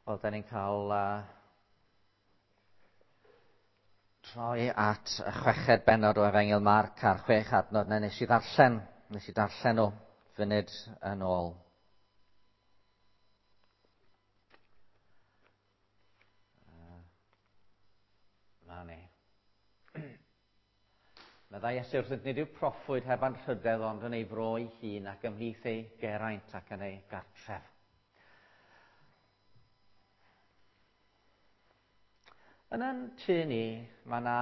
Wel, da ni'n cael troi at y chweched bennod o Efengyl Marc a'r chwech adnod na nes i ddarllen. Nes i darllen o funud yn ôl. Na ni. Meddai Iesu wrthynt, nid yw proffwyd heb anrhydedd ond yn ei fro ei hun ac ymhlith ei geraint ac yn ei gartref. Yn yn tŷ ni, mae yna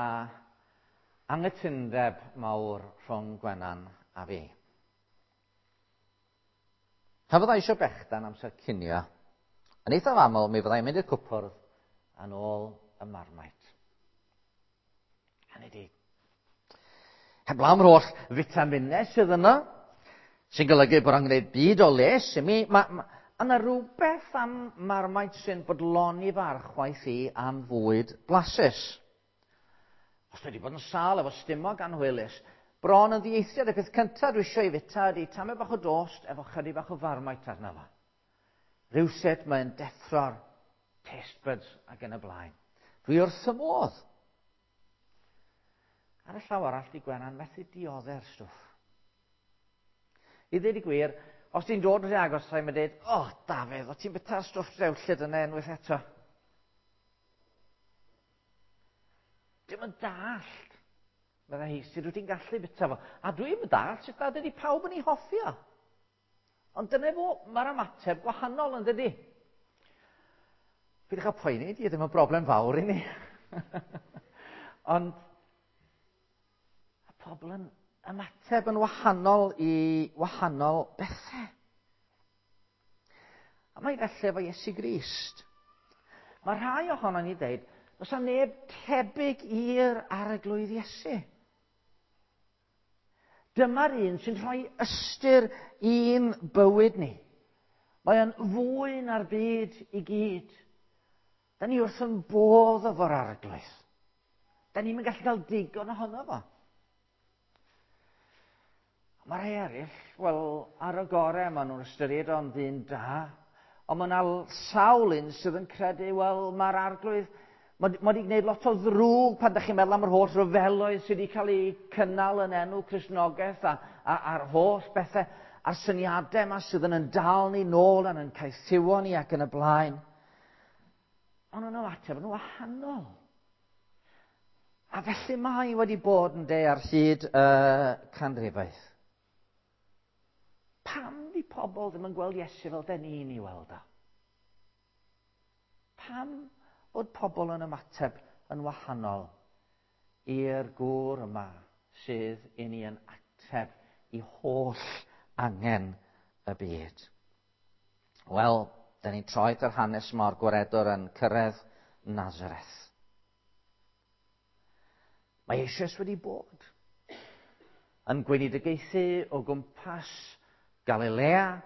anghytundeb mawr rhwng Gwenan a fi. Pan fyddai eisiau bechdan amser cinio, yn eithaf aml mi fyddai'n mynd i'r cwpwrdd yn ôl y marmite. Hynny di, heblaw am yr holl fitaminau sydd yno, sy'n golygu bod o'n gwneud byd o les i mi, mae ma, yna rhywbeth am marmite sy'n bodloni fy archwaith i am fwyd blasus. Os dwi wedi bod yn sâl efo stumog anhwylus, bron yn ddieithriad y peth cyntaf dwi eisiau ei fita ydy tamed bach o dost efo chydig bach o farmite arno fo. Rhywsut mae'n deffro'r taste buds ac yn y blaen. Dwi wrth y modd. Ar y llaw arall, di Gwenan methu diodde'r stwff. I ddweud y gwir, os ti'n dod rhy agos, rhaid mae'n dweud, o, oh, Dafydd, o ti'n byta'r stwff drewllyd yna unwaith eto. Dim yn dallt, meddai hi, sut wyt ti'n gallu byta fo. A dwi'n yn dallt sut nad ydy pawb yn ei hoffi o. Ond dyna fo, mae'r ymateb gwahanol yn dydy. Peidiwch â poeni, di ddim yn broblem fawr i ni. Ond y pobl yn ymateb yn wahanol i wahanol bethau. A mae felly efo Iesu Grist. Mae rhai ohono ni dweud, does 'na neb tebyg i'r arglwydd Iesu. Dyma'r un sy'n rhoi ystyr i'n bywyd ni. Mae o'n fwy na'r byd i gyd. Da ni wrth yn bodd efo'r arglwydd. Da ni'n gallu cael digon ohono fo. Mae rhai eraill, wel, ar y gorau, maen nhw'n ystyried o'n ddyn da. Ond mae yna sawl un sydd yn credu, wel, mae'r arglwydd, mae wedi gwneud lot o ddrwg pan ydych chi'n meddwl am yr holl ryfeloedd sydd wedi cael eu cynnal yn enw Cristnogaeth a, a, a'r holl bethau a'r syniadau yma sydd yn yn dal ni nôl a'n yn caethiwo ni ac yn y blaen. Ond nhw'n ymateb yn wahanol. A felly mae wedi bod yn de ar hyd y canrifoedd. Pam di pobl ddim yn gweld Iesu fel den ni'n ei weld o? Pam bod pobl yn ymateb yn wahanol i'r gŵr yma sydd i ni yn ateb i holl angen y byd? Wel, da ni'n troi at yr hanes yma o'r gwaredwr yn cyrraedd Nazareth. Mae eisoes wedi bod yn gweinidogaethu o gwmpas Galilea.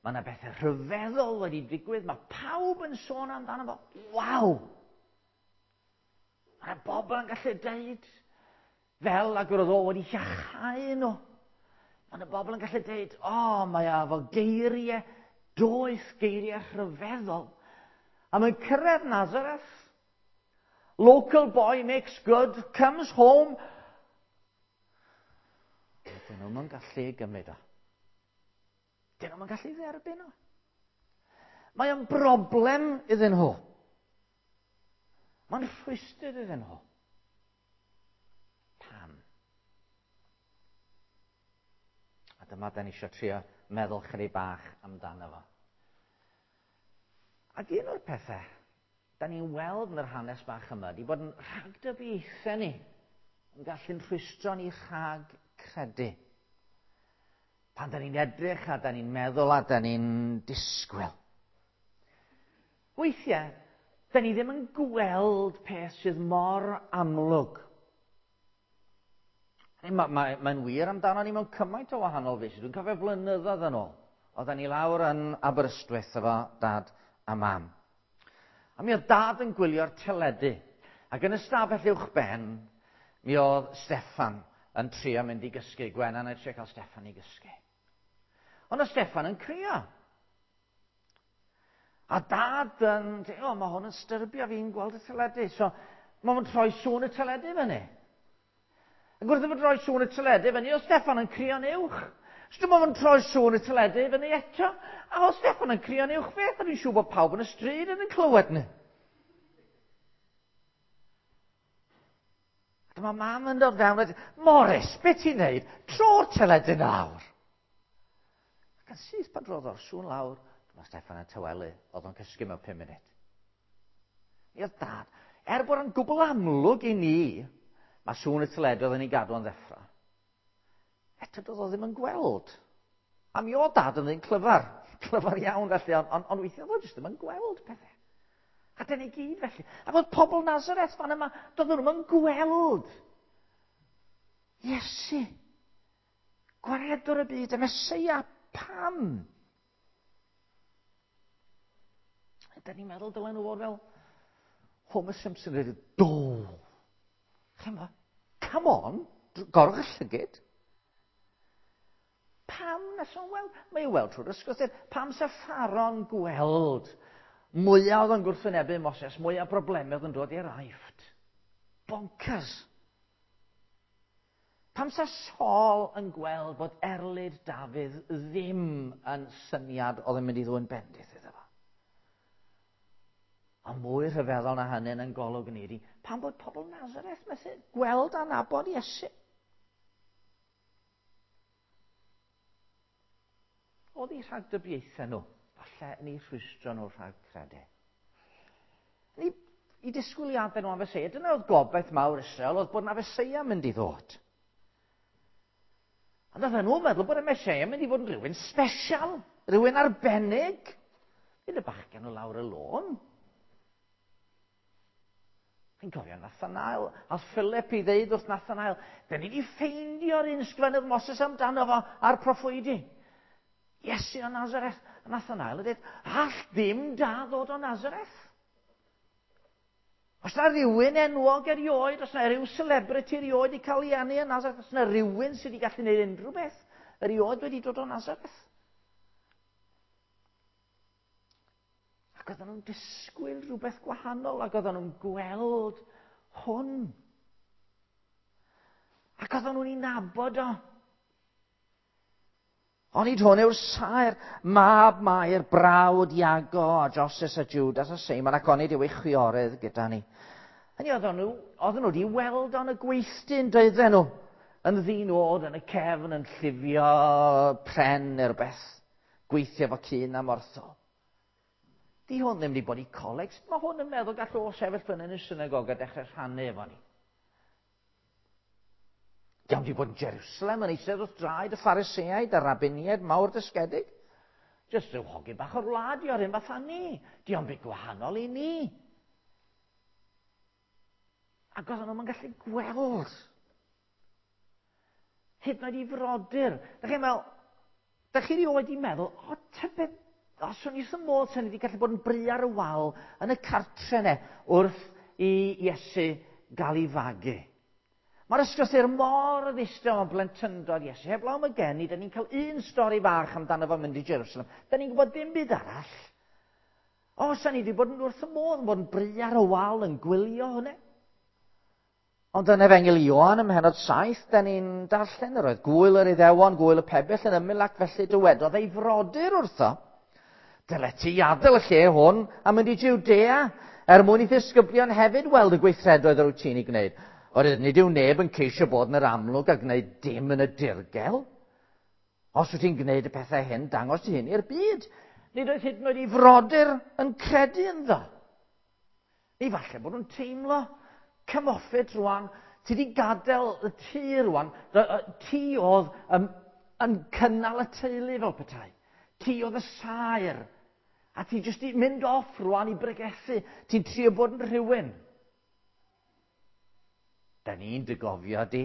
Mae yna bethau rhyfeddol wedi digwydd. Mae pawb yn sôn amdano fo. Waw! Mae yna bobl yn gallu deud fel ag yr oedd o wedi iachau nhw. Mae yna bobl yn gallu deud, o, oh, mae o efo geiriau doeth, geiriau rhyfeddol. A mae'n cyrraedd Nazareth. Local boy makes good, comes home. Dyn nhw'n gallu gymryd o. Dyn nhw'n gallu dderbyn o. Mae o'n broblem iddyn nhw. Mae'n rhwystr iddyn nhw. Pam? A dyma da ni eisiau trio meddwl chydig bach amdano fo. Ac un o'r pethau da ni'n weld yn yr hanes bach yma di bod yn rhagdybiaethau ni yn gallu'n rhwystro ni rhag credu. Pan da ni'n edrych a da ni'n meddwl a da ni'n disgwyl. Weithiau, da ni ddim yn gweld peth sydd mor amlwg. Mae'n ma, ma wir amdano ni mewn cymaint o wahanol feysydd. Dwi'n cofio blynyddoedd yn ôl. Oedden ni lawr yn Aberystwyth efo dad a mam. A mi oedd dad yn gwylio'r teledu. Ac yn y stafell uwch ben, mi oedd Steffan yn trio mynd i gysgu. Gwenan yn trio cael Steffan i gysgu. Ond oedd Steffan yn crio. A dad yn, o, mae hwn yn styrbio fi'n gweld y teledu. So, mae hwn troi sŵn y teledu fyny. Ac wrth iddo fo droi sŵn y teledu fyny, oedd Steffan yn crio'n uwch. So dyma fo'n troi sŵn y teledu fyny eto. A oedd Steffan yn crio'n uwch beth, a dwi'n siŵr bod pawb yn y stryd yn clywed ni. A dyma mam yn dod fewn a dweud, Morris, beth ti'n neud? Tro'r teledu nawr. Ac yn syth pan drodd o'r sŵn lawr, dyma Steffan yn tawelu, oedd o'n cysgu mewn 5 munud. Mi oedd dad, er bod o'n gwbl amlwg i ni, mae sŵn y teledu oedd yn ei gadw yn ddeffro. Eto doedd o ddim yn gweld. A mi oedd dad yn ddyn clyfar, clyfar iawn felly, ond on, on weithiau oedd o jyst ddim yn gweld pethau. A dyna i gyd felly. A bod pobl Nazareth fan yma, doedden nhw'n gweld Iesu. Gwaredwr y byd, y Meseia, pam? Ydyn ni'n meddwl dylen nhw fod fel Homer Simpson wedi do. Chymod, come on, gorwch y llygyd. Pam nes o'n weld? Mae i'w weld trwy'r ysgwythyr. Pam sa Pharo'n gweld mwyaf oedd yn gwrthwynebu Moses, mwyaf broblemau oedd yn dod i'r aifft? Bonkers. Pam sa Saul yn gweld bod erlid Dafydd ddim yn syniad oedd yn mynd i ddwyn bendith iddo fo? A mwy rhyfeddol na hynny yn golwg ni ydi, pam bod pobl Nazareth methu gweld a nabod Iesu? Oedd eu rhagdybiaethau nhw, falle yn eu rhwystro nhw rhag credu. Ni, i disgwyliadau nhw am Feseia, dyna oedd gobaith mawr Israel, oedd bod na Feseia mynd i ddod. Ond oedden nhw'n meddwl bod y Meseia mynd i fod yn rhywun special, rhywun arbennig. Fydd y bachgen o lawr y lôn. Chi'n cofio Nathanael? A Philip i ddeud wrth Nathanael, dyn ni wedi ffeindio'r un sgwennodd Moses amdano fo a'r proffwydi. Iesu o Nazareth. A Nathanael yn dweud, all ddim da ddod o Nazareth. Os na rhywun enwog erioed, os na rhyw celebrity erioed i cael ei eni yn Nazareth, os na rhywun sydd wedi gallu gwneud unrhyw beth erioed wedi dod o Nazareth. Ac oedden nhw'n disgwyl rhywbeth gwahanol, ac oedden nhw'n gweld hwn. Ac oedden nhw'n ei nabod o. Onid hwn yw'r saer, mab Mair, brawd Iago a Joses a Judas a Seimon, ac onid yw ei chwiorydd gyda ni. Hynny oedden nhw, oedden nhw wedi weld o'n y gweithdy'n doedden nhw, yn ddyn oed yn y cefn yn llifio pren neu rhywbeth, gweithio fo cyn am ortho. Di hwn ddim wedi bod i coleg. Sut mae hwn yn meddwl gall o sefyll fyny yn y synagog a dechrau rhannu efo ni? Di wedi bod yn Jerusalem yn eistedd wrth draed y Phariseaid a'r rabiniaid mawr dysgedig. Jyst rhyw hogyn bach o'r wlad i o'r un fath â ni. Di o'n byd gwahanol i ni. Ac oedden nhw'n gallu gweld. Hyd yn oed i frodyr. Da chi'n meddwl, da chi rioed i meddwl, o, tybed, os o'n i wrth y modd sy'n wedi gallu bod yn bri ar y wal yn y cartre ne wrth i Iesu gael ei fagu. Mae'r ysgrythur mor ddistaw am blentyndod Iesu. Heblaw am y geni, da ni'n cael un stori fach amdano fo'n mynd i Jerusalem. Da ni'n gwybod dim byd arall. O, sa'n ni wedi bod yn wrth y modd yn bod yn bri ar y wal yn gwylio hwnna. Ond yn Efengyl Ioan ym mhenod 7, da ni'n darllen yr oedd gwyl yr Iddewon, gwyl y pebyll yn ymyl ac felly dywedodd ei frodyr wrtho. Dyle ti adael y lle hwn a mynd i Judea, er mwyn i ddisgyblion hefyd weld y gweithredoedd yr wyt ti'n ei gwneud. Oherwydd nid yw neb yn ceisio bod yn yr amlwg a gwneud dim yn y dirgel. Os wyt ti'n gwneud y pethau hyn, dangos ti hyn i'r byd. Nid oedd hyd yn oed ei frodyr yn credu ynddo. Neu falle bod nhw'n teimlo, come off it rwan, ti wedi gadael y tŷ rwan, ti oedd yn, yn cynnal y teulu fel petai. Ti oedd y saer. A ti jyst i mynd off rwan i bregethu. Ti'n trio bod yn rhywun. Da ni'n dy gofio di.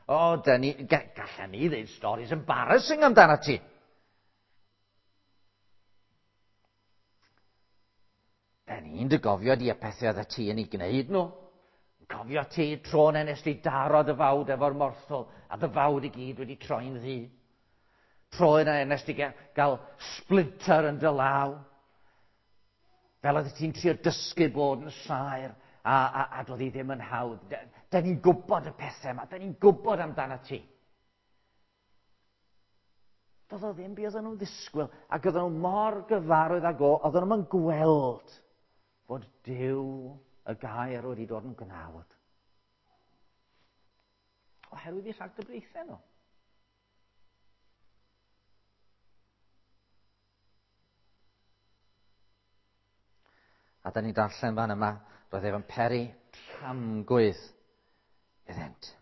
O, da ni, gallen ni ddeud stories embarrassing amdano ti. Da ni'n dy gofio di y pethau oedd ti yn ei gwneud nhw. Cofio ti tro na nes di daro dy fawd efo'r morthol a dy fawd i gyd wedi troi'n ddu. Tro yna nes di gael splinter yn dy law. Fel oedd ti'n trio dysgu bod yn saer a doedd hi ddim yn hawdd. Da ni'n gwybod y pethau yma, da ni'n gwybod amdano ti. Doedd o ddim be oedden nhw'n ddisgwyl, ac oedden nhw mor gyfarwydd ag o, oedden nhw'n gweld fod Duw y gair wedi dod yn gnawd. Oherwydd eu rhagdybiaethau nhw. A da ni'n darllen fan yma, roedd ef yn peri tramgwydd iddynt.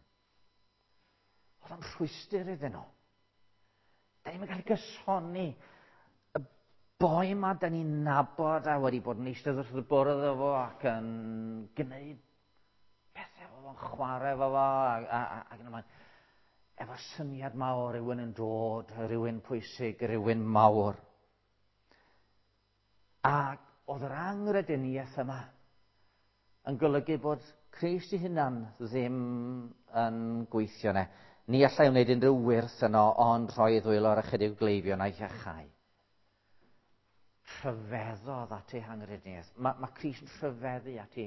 Oedd o'n rhwystr iddyn nhw. Da ni'n cael gysoni y boi yma da ni'n nabod a wedi bod yn eistedd wrth y bwrdd efo ac yn gwneud pethau efo fo'n chwarae efo fo ac yn ymlaen. Efo syniad mawr, rhywun yn dod, rhywun pwysig, rhywun mawr. Ac oedd yr anghrediniaeth yma yn golygu bod Crist ei hunan ddim yn gweithio ne. Ni allai wneud unrhyw wyrth yno ond rhoi ei ddwylo ar ychydig o gleifion a'i hiachau. Rhyfeddodd at ei hanghrediniaeth. Mae Crist yn rhyfeddu at ei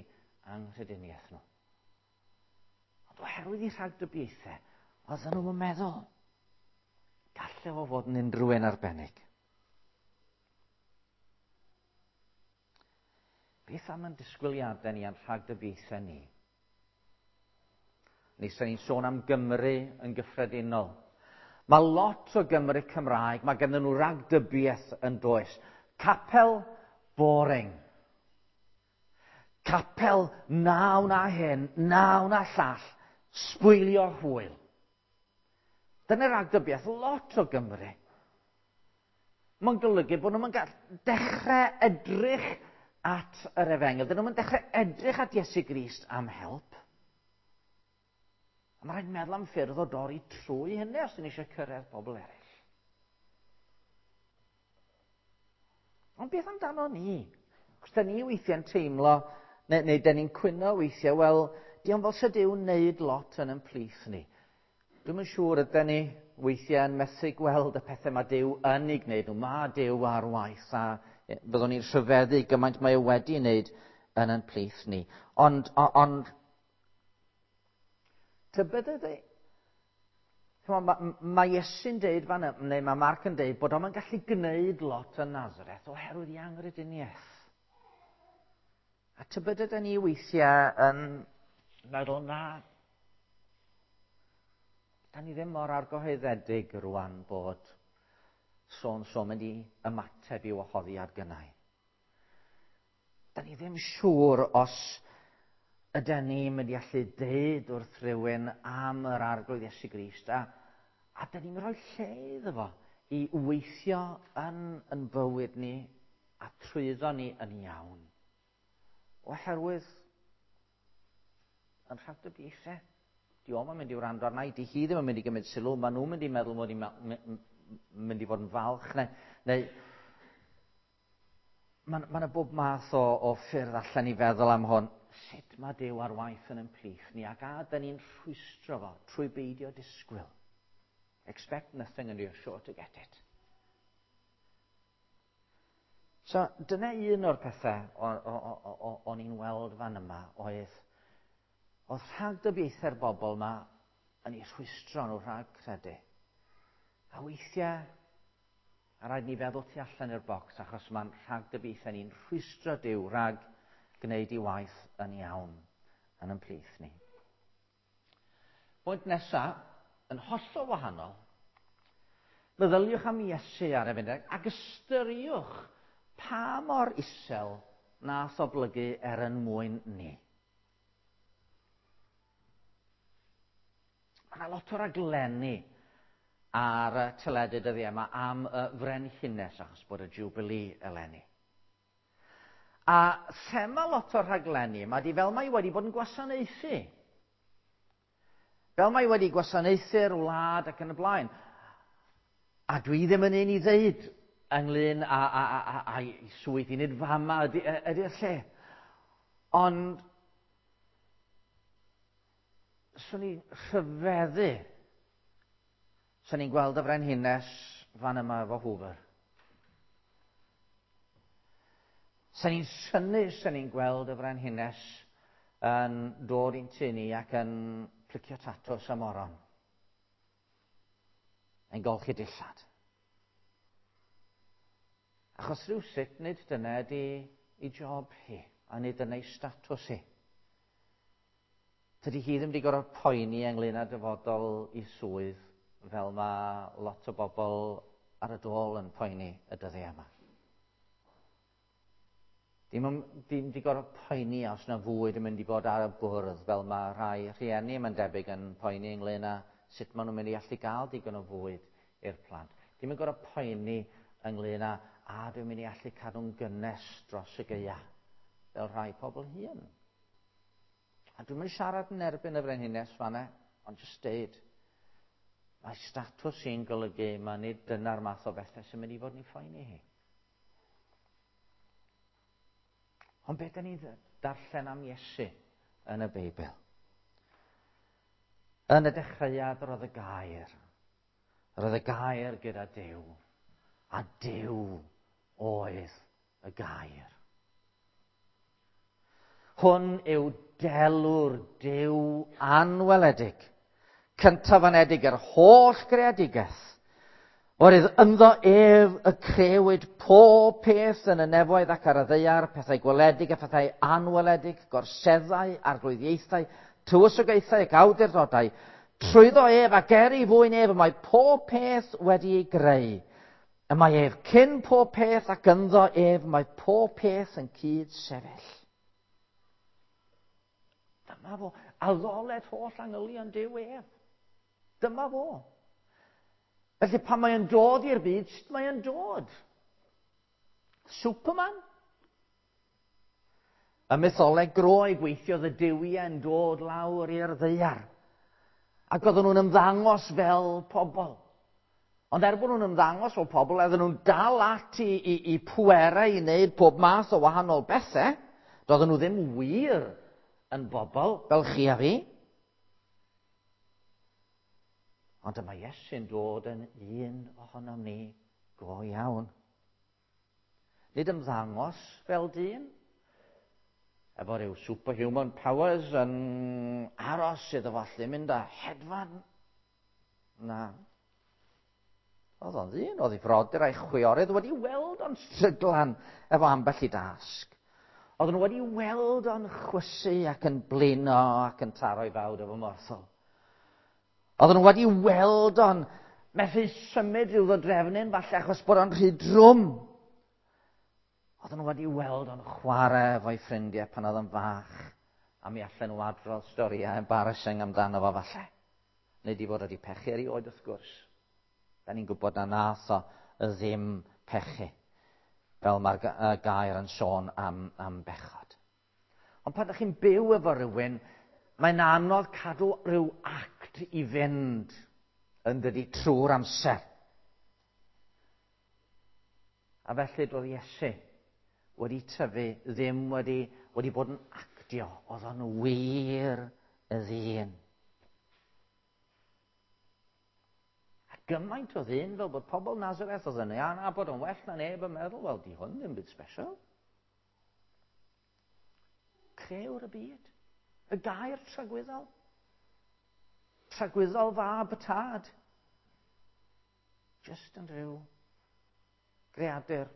anghrediniaeth nhw. Ond oherwydd ei rhagdybiaethau, oedden nhw'n meddwl, gallai fo fod yn unrhyw un arbennig. Beth am yn disgwyliadau ni a'n rhagdybiaethau ni? Ni sy'n ni'n sôn am Gymru yn gyffredinol. Mae lot o Gymru Cymraeg, mae ganddyn nhw ragdybiaeth yn does. Capel boring. Capel na wna hyn, na wna llall, sbwylio hwyl. Dyna ragdybiaeth lot o Gymru. Mae'n golygu bod nhw'n gallu dechrau edrych at yr efengyl. Dyn nhw'n dechrau edrych at Iesu Grist am help. A mae rhaid meddwl am ffyrdd o dorri trwy hynny os dyn ni eisiau cyrraedd pobl eraill. Ond beth amdano ni? Cos da ni weithiau'n teimlo, neu da ni'n cwyno weithiau, wel, diolch fel sydd Duw'n wneud lot yn ein plith ni. Dwi'm yn siŵr ydyn ni weithiau yn methu gweld y pethau mae Duw yn ei gwneud nhw. Mae Duw ar waith a byddwn ni'n rhyfeddu gymaint mae e wedi wneud yn ein plith ni. Ond tybed ydy, mae Iesu'n deud fan yma, neu mae Marc yn deud bod o'n gallu gwneud lot yn Nazareth oherwydd ei anghrediniaeth. A tybed ydyn ni weithiau yn meddwl na, da ni ddim mor argyhoeddedig rwan bod so-and-so mynd i ymateb i wahoddiad gynnau. Da ni ddim siŵr os ydyn ni'n mynd i allu deud wrth rhywun am yr Arglwydd Iesu Grist a da ni'n rhoi lle iddo fo i weithio yn bywyd ni a trwyddo ni yn iawn. Oherwydd yn rhagdybiaethau. Di o'm yn mynd i wrando arna i, di hi ddim yn mynd i gymryd sylw, maen nhw'n mynd i meddwl mod i'n mynd i fod yn falch, neu mae yna bob math o ffyrdd allan i feddwl am hwn. Sut mae Duw ar waith yn ein plith ni, ac a da ni'n rhwystro fo trwy beidio disgwyl. Expect nothing and you're sure to get it. So, dyna un o'r pethau o'n i'n weld fan yma oedd rhagdybiaethau'r bobl yma yn eu rhwystro nhw rhag credu. A weithiau, a rhaid ni feddwl tu allan i'r bocs, achos mae'n rhagdybiaethau ni'n rhwystro Duw rhag gwneud ei waith yn iawn yn ein plith ni. Pwynt nesaf, yn hollol wahanol, meddyliwch am Iesu ar y funud ac ystyriwch pa mor isel nath oblygu er yn mwyn ni. Mae yna lot o raglenni ar y teledu dyddiau yma am y frenhines achos bod y Jubilee eleni. A thema lot o'r rhaglenni yma di fel mae wedi bod yn gwasanaethu. Fel mae wedi gwasanaethu'r wlad ac yn y blaen. A dwi ddim yn un i ddeud ynglyn â'i swydd i nid fama ydy'r lle. Ond swn i'n rhyfeddu. Swn i'n gweld y frenhines fan yma efo Hoover. Sa'n ni'n synnu, sa'n ni'n gweld y frenhines yn dod i'n tŷ ni ac yn plicio tatws a moron. Yn golchi dillad. Achos rhywsut nid dyna ydi ei job hi, a nid dyna ei statws hi. Tydi hi ddim wedi gorfod poeni ynglyn â dyfodol i swydd fel mae lot o bobl ar y dôl yn poeni y dyddiau yma. Dim wedi gorfod poeni os na fwyd yn mynd i fod ar y bwrdd fel mae rhai rhieni mae'n debyg yn poeni ynglyn â sut maen nhw'n mynd i allu gael digon o fwyd i'r plant. Dim yn gorfod poeni ynglyn â a dwi'n mynd i allu cadw'n gynnes dros y gaea fel rhai pobl hŷn. A dwi'n mynd siarad yn erbyn y frenhines fanna, ond jyst deud, mae statws hi'n golygu mae nid dyna'r math o bethau sy'n mynd i fod yn ei phoeni hi. Ond beth da ni'n darllen am Iesu yn y Beibl? Yn y dechreuad roedd y gair. Roedd y gair gyda Duw. A Duw oedd y gair. Hwn yw delw'r Duw anweledig, cyntaf anedig yr holl greadigaeth. Oherwydd ynddo ef y crewyd pob peth yn y nefoedd ac ar y ddaear, pethau gweledig a phethau anweledig, gorseddau, arglwyddiaethau, tywysogaethau ac awdurdodau. Trwyddo ef ac er ei fwyn ef y mae pob peth wedi ei greu. Y mae ef cyn pob peth ac ynddo ef mae pob peth yn cyd sefyll. Dyma fo. Addoled holl angylion Duw ef. Dyma fo. Felly pan mae o'n dod i'r byd, sut mae o'n dod? Superman? Y mytholeg Groeg weithiodd y duwiau yn dod lawr i'r ddaear. Ac oedden nhw'n ymddangos fel pobl. Ond er bod nhw'n ymddangos fel pobl, oedden nhw'n dal ati i, i pwerau i wneud pob math o wahanol bethau. Doedden nhw ddim wir yn bobl fel chi a fi. Ond dyma Iesu'n dod yn un ohonom ni go iawn. Nid ymddangos fel dyn, efo rhyw superhuman powers yn aros iddo fo allu mynd a hedfan. Na. Oedd o'n ddyn, oedd ei frodyr a'i chwiorydd wedi weld o'n stryglan efo ambell i dasg. Oedden nhw wedi weld o'n chwysu ac yn blino ac yn taro'i fawd efo morthol. Oedden nhw wedi weld o'n methu symud rhyw ddodrefnyn falle achos bod o'n rhy drwm. Oedden nhw wedi weld o'n chwarae efo'i ffrindiau pan oedd o'n fach a mi allan nhw adrodd storïau embarrassing amdano fo falle. Nid i fod wedi pechu erioed wrth gwrs. Da ni'n gwybod na nath o ddim pechu, fel mae'r gair yn sôn am, am bechod. Ond pan ydych chi'n byw efo rhywun, mae'n anodd cadw rhyw act i fynd yn dydi trwy'r amser. A felly doedd Iesu wedi tyfu, ddim wedi, wedi bod yn actio, oedd o'n wir y ddyn. A gymaint o ddyn fel bod pobl Nazareth oedd yn ei anabod yn well na neb yn meddwl, wel, di hwn ddim byd special. Crewr y byd. Y gair tragwyddol. Tragwyddol fab y tad. Just yn rhyw greadur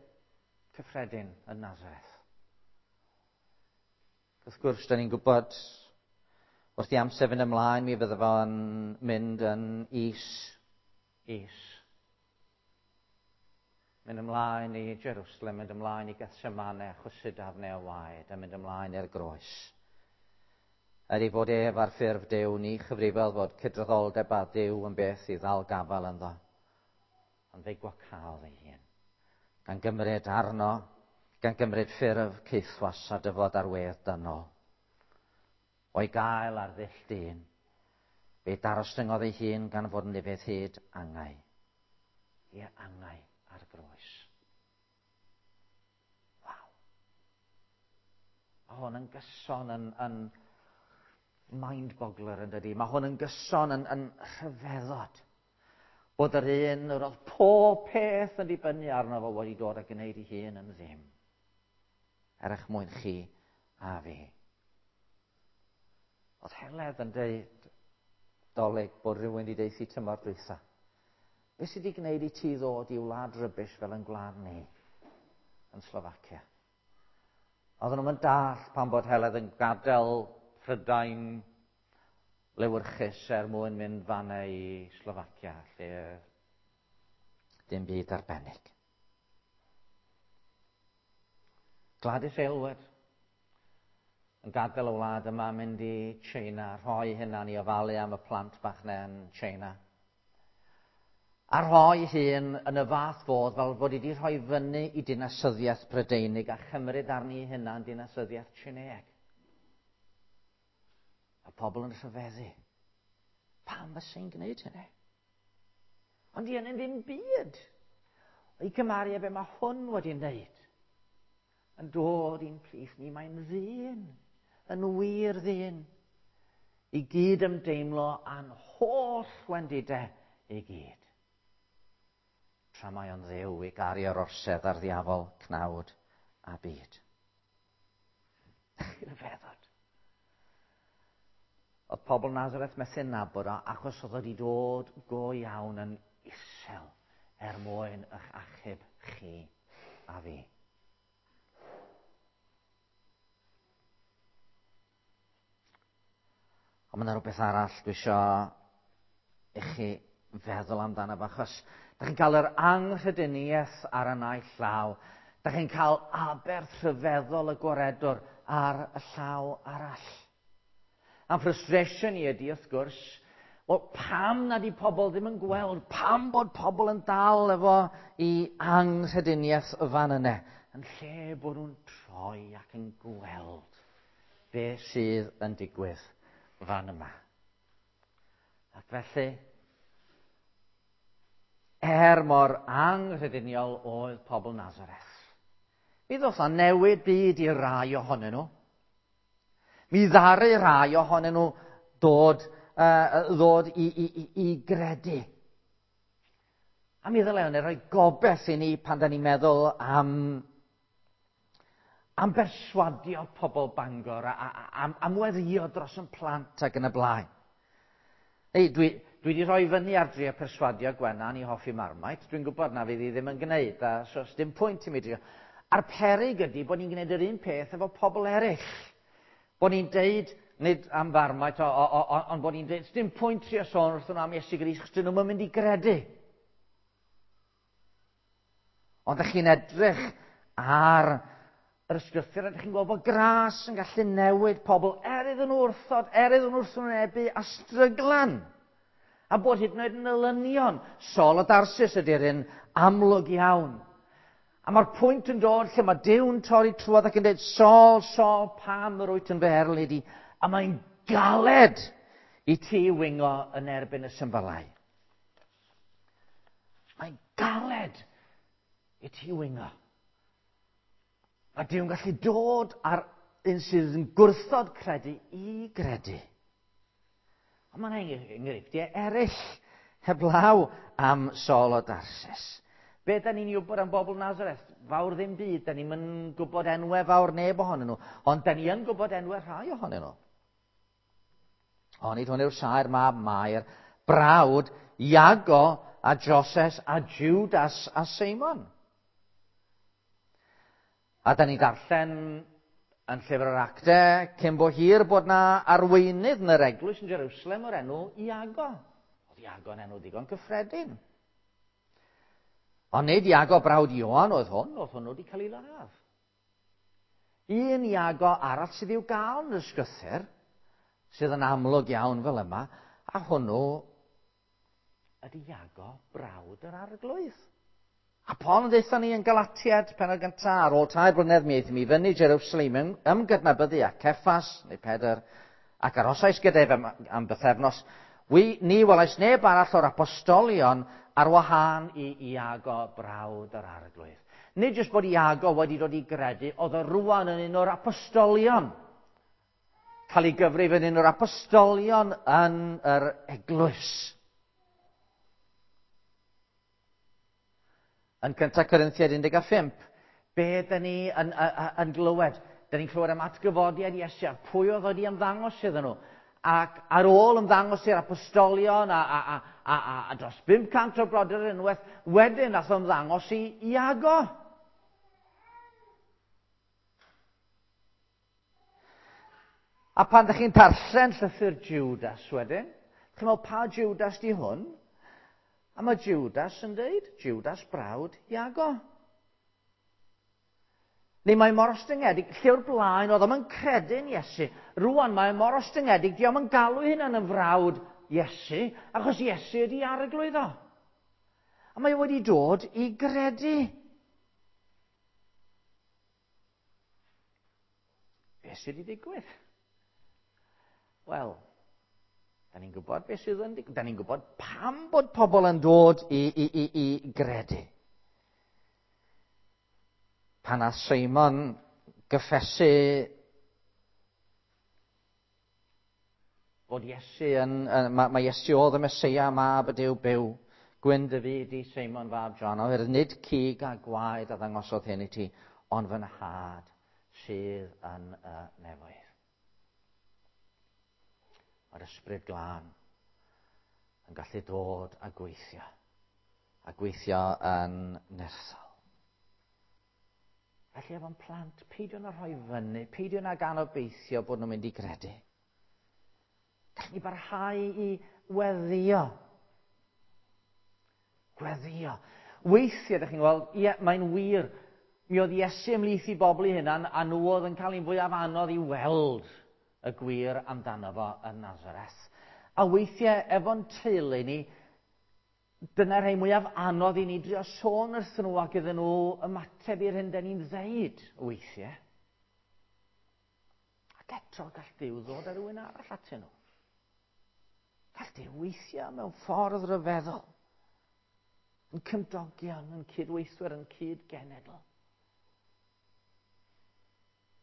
cyffredin yn Nazareth. Wrth gwrs, da ni'n gwybod wrth i amser fynd ymlaen, mi fydde fo'n mynd yn is, is. Mynd ymlaen i Jerusalem, mynd ymlaen i Gethsemane, chwysu darnau o waed, a mynd ymlaen i'r groes. Er ei fod ef ar ffurf Duw, ni chyfrifol fod cydraddoldeb â Duw yn beth i ddal gafael ynddo. Ond fe'i gwacaodd ei hun. Gan gymryd arno, gan gymryd ffurf caethwas a dyfod ar wedd dynol. O'i gael ar ddull dyn, fe darostyngodd ei hun gan fod yn ufudd hyd angau. Ie, angau ar y groes. Waw. Mae hwn yn gyson yn, yn mind-boggler yn dydi. Mae hwn yn gyson yn, yn rhyfeddod. Bod yr un yr oedd pob peth yn dibynnu arno fo wedi dod a gwneud ei hun yn ddim. er eich mwyn chi a fi. Oedd Heledd yn dweud dolyg bod rhywun wedi deithi tymor dwytha. Be sydd wedi gwneud i ti ddod i wlad rybish fel yn gwlad ni yn Slofacia? Oedden nhw'n dall pan bod Heledd yn gadael Prydain lewyrchus er mwyn mynd fanna i Slofacia, lle dim byd arbennig. Gladys Aylward yn gadael y wlad yma, mynd i China, rhoi hynna'n i ofalu am y plant bach na yn China. A rhoi hun yn y fath fodd fel bod wedi rhoi fyny i dinasyddiaeth Brydeinig a chymryd arni hynna'n dinasyddiaeth Tsineeg. A pobl yn rhyfeddu. Pam fysa gwneud hynny? Ond di hynny'n ddim byd. O'i cymharu â be mae hwn wedi wneud. Yn dod i'n plith ni, mae'n ddyn. Yn wir ddyn. I gyd ymdeimlo â'n holl wendidau i gyd. Tra mae o'n ddew i gario'r orsedd ar ddiafol, cnawd a byd. Rhyfeddod. Oedd pobl Nazareth methu nabod o achos oedd wedi dod go iawn yn isel er mwyn eich achub chi a fi. Ond mae yna rhywbeth arall dwi eisiau i chi feddwl amdano fo, achos da chi'n cael yr anghrediniaeth ar y naill llaw, da chi'n cael aberth rhyfeddol y gwaredwr ar y llaw arall. A'n frustration i ydy, wrth gwrs, wel, pam nad i pobl ddim yn gweld, pam bod pobl yn dal efo i anghrediniaeth y fan yna, yn lle bod nhw'n troi ac yn gweld be sydd yn digwydd fan yma. Ac felly, er mor anghrediniol oedd pobl Nazareth, mi ddoth a newid byd i rai ohonyn nhw. Mi ddaru rai ohonyn nhw dod, ddod i, i, i, i gredu. A mi ddylai hynny rhoi gobeith i ni pan da ni'n meddwl am, am berswadio pobl Bangor, a, a, am, am weddio dros yn plant ac yn y blaen. Ei, dwi, dwi wedi rhoi fyny ar drio perswadio Gwennan i hoffi Marmite. Dwi'n gwybod na fydd hi ddim yn gwneud, a so dim pwynt i mi drio. A'r peryg ydy bod ni'n gwneud yr un peth efo pobl eraill. Bod ni'n deud, nid am Farmite, ond bod ni'n deud, dim pwynt trio sôn wrthyn nhw am Iesu Grist, chos dyn nhw'n mynd i gredu. Ond ydych chi'n edrych ar yr ysgrythur, ydych chi'n gweld bod gras yn gallu newid pobl er iddyn nhw wrthod, er iddyn nhw wrthwynebu a stryglan. A bod hyd yn oed yn elynion. Saul o Darsus ydy'r un amlwg iawn. A mae'r pwynt yn dod lle mae Duw'n torri trwodd ac yn dweud, Saul, Saul, pam yr wyt yn fy erlid i? A mae'n galed i ti wingo yn erbyn y symbylau. Mae'n galed i ti wingo. Mae Duw'n gallu dod ar un sydd yn gwrthod credu i gredu. Ond mae'n enghreifftiau eraill heblaw am Saul o Darsus. Be da ni'n wybod am bobl Nazareth? Fawr ddim byd, da ni'n gwybod enwau fawr neb ohonyn nhw, ond da ni yn gwybod enwau rhai ohonyn nhw. Onid hwn yw'r saer mab Mair, brawd Iago a Joses a Judas a Seimon. A da ni'n darllen yn llyfr yr Actau, cyn bo hir bod na arweinydd yn yr eglwys yn Jerusalem o'r enw Iago. Oedd Iago yn enw digon cyffredin. Ond nid Iago brawd Ioan oedd hwn, oedd hwnnw wedi cael ei ladd. Un Iago arall sydd i'w gael yn y ysgrythur, sydd yn amlwg iawn fel yma, a hwnnw ydy Iago brawd yr arglwydd. A Paul yn dweud ni yn Galatiad, pennod gyntaf, ar ôl 3 blynedd mi aethum i fyny Jerusalem ymgydnabyddu â Ceffas, neu Pedr, ac arhosais gyda ef am, am bythefnos. Wi, ni welais neb arall o'r apostolion ar wahân i Iago brawd yr arglwydd. Nid jyst bod Iago wedi dod i gredu, oedd o rwan yn un o'r apostolion. Cael ei gyfrif yn un o'r apostolion yn yr eglwys. Yn 1 Corinthiaid 15, Be dyn ni yn, yn, yn glywed? Dyn ni'n clywed am atgyfodiad Iesu a pwy oedd wedi ymddangos iddyn nhw. Ac ar ôl ymddangos i'r apostolion a, a, a, a, a, a dros 500 o brodyr unwaith, wedyn nath ymddangos i Iago. A pan ydych chi'n darllen llythyr Judas wedyn, chi'n meddwl pa Judas di hwn? A mae Judas yn dweud, Judas brawd Iago. Neu mae mor ostyngedig, lle o'r blaen oedd o'm yn credu'n Iesu. Rwan mae mor ostyngedig, di o'm yn galw hunan yn frawd Iesu, achos Iesu ydi arglwydd o. A mae wedi dod i gredu. Beth sydd wedi digwydd? Wel, da ni'n gwybod beth sydd yn digwydd. Da ni'n gwybod pam bod pobl yn dod i, i, i, i gredu. Pan a Simon gyffesu fod Iesu yn, mae, mae Iesu oedd y Mesoea, mab y Duw byw. Gwyn dy fyd i Seimon fab John, oherwydd nid cig a gwaed a ddangosodd hyn i ti, ond fy nhad sydd yn y nefoedd. Mae'r ysbryd glân yn gallu dod a gweithio, a gweithio yn nerthol. Felly efo'n plant, peidio na rhoi fyny, peidio na gan obeithio bod nhw'n mynd i gredu. Gallwn ni barhau i weddio. Gweddio. Weithiau, ydych chi'n gweld, ie, mae'n wir, mi oedd Iesu ymhlith i bobl i hunan, a nhw oedd yn cael ein fwyaf anodd i weld y gwir amdano fo yn Nazareth. A weithiau, efo'n teulu ni, dyna'r rhai mwyaf anodd i ni drio sôn wrthyn nhw ac iddyn nhw ymateb i'r hyn da ni'n ddeud weithiau. Ac eto gall Duw ddod â rhywun arall atyn nhw. Gall Duw weithio mewn ffordd ryfeddol. Yn cymdogion, yn cydweithwyr, yn cyd-genedl.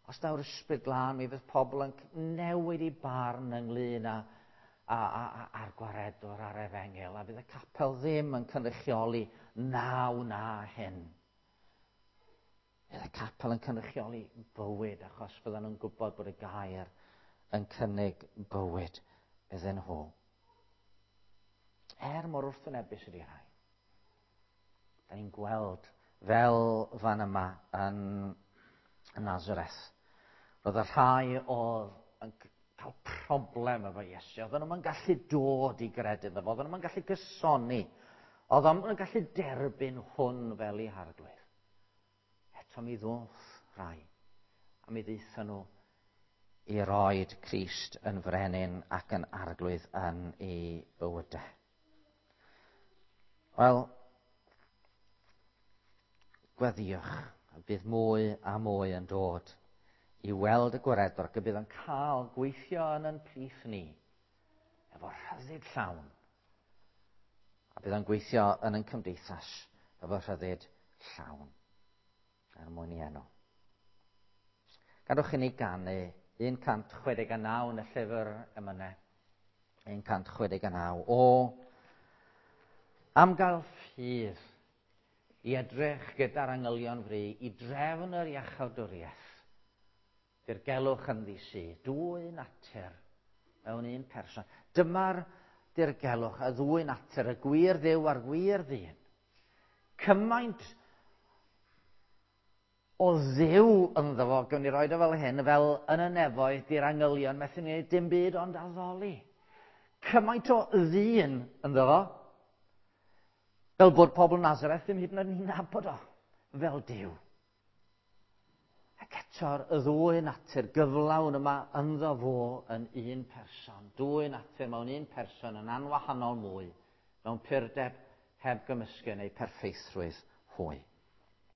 Os daw'r ysbryd glân, mi fydd pobl yn newid i barn ynglyn â, a, a, a, a'r gwaredwr a'r efengil, a fydd y capel ddim yn cynrychioli naw na hyn. Bydd y capel yn cynrychioli bywyd, achos fyddan nhw'n gwybod bod y gair yn cynnig bywyd iddyn nhw. Er mor wrthwynebus ydy rhai. Da ni'n gweld fel fan yma yn Nazareth. Roedd y rhai oedd yn cael problem efo Iesu. Oedden nhw'n gallu dod i gredu iddo fo. Oedden nhw'n gallu gysoni. Oedden nhw'n gallu derbyn hwn fel ei harglwydd. Eto mi ddoth rhai. A mi ddeithon nhw i roed Crist yn frenin ac yn arglwydd yn ei bywydau. Wel, gweddiwch, a bydd mwy a mwy yn dod i weld y gwaredwr ac y bydd yn cael gweithio yn yn plith ni efo rhyddid llawn. A bydd yn gweithio yn yn cymdeithas efo rhyddid llawn er mwyn i enw. Gadwch i ni ganu 169 yn y llyfr emynau. 169. O, am gael ffydd i edrych gyda'r angylion fri i drefn yr iachawdwriaeth. Dirgelwch yn ddi dwy natur mewn un person. Dyma'r dirgelwch, y ddwy natur, y gwir ddew a'r gwir ddyn. Cymaint o ddew ynddo fo, gawn ni roed o fel hyn, fel yn y nefoedd, di'r angylion methu ni dim byd ond addoli. Cymaint o ddyn ynddo fo, fel bod pobl Nazareth ddim hyd yn oed yn nabod o, fel Duw. Ac eto'r y ddwy natur gyflawn yma ynddo fo yn un person. Dwy natur mewn un person yn anwahanol mwy, mewn purdeb heb gymysgu neu perffeithrwydd hwy.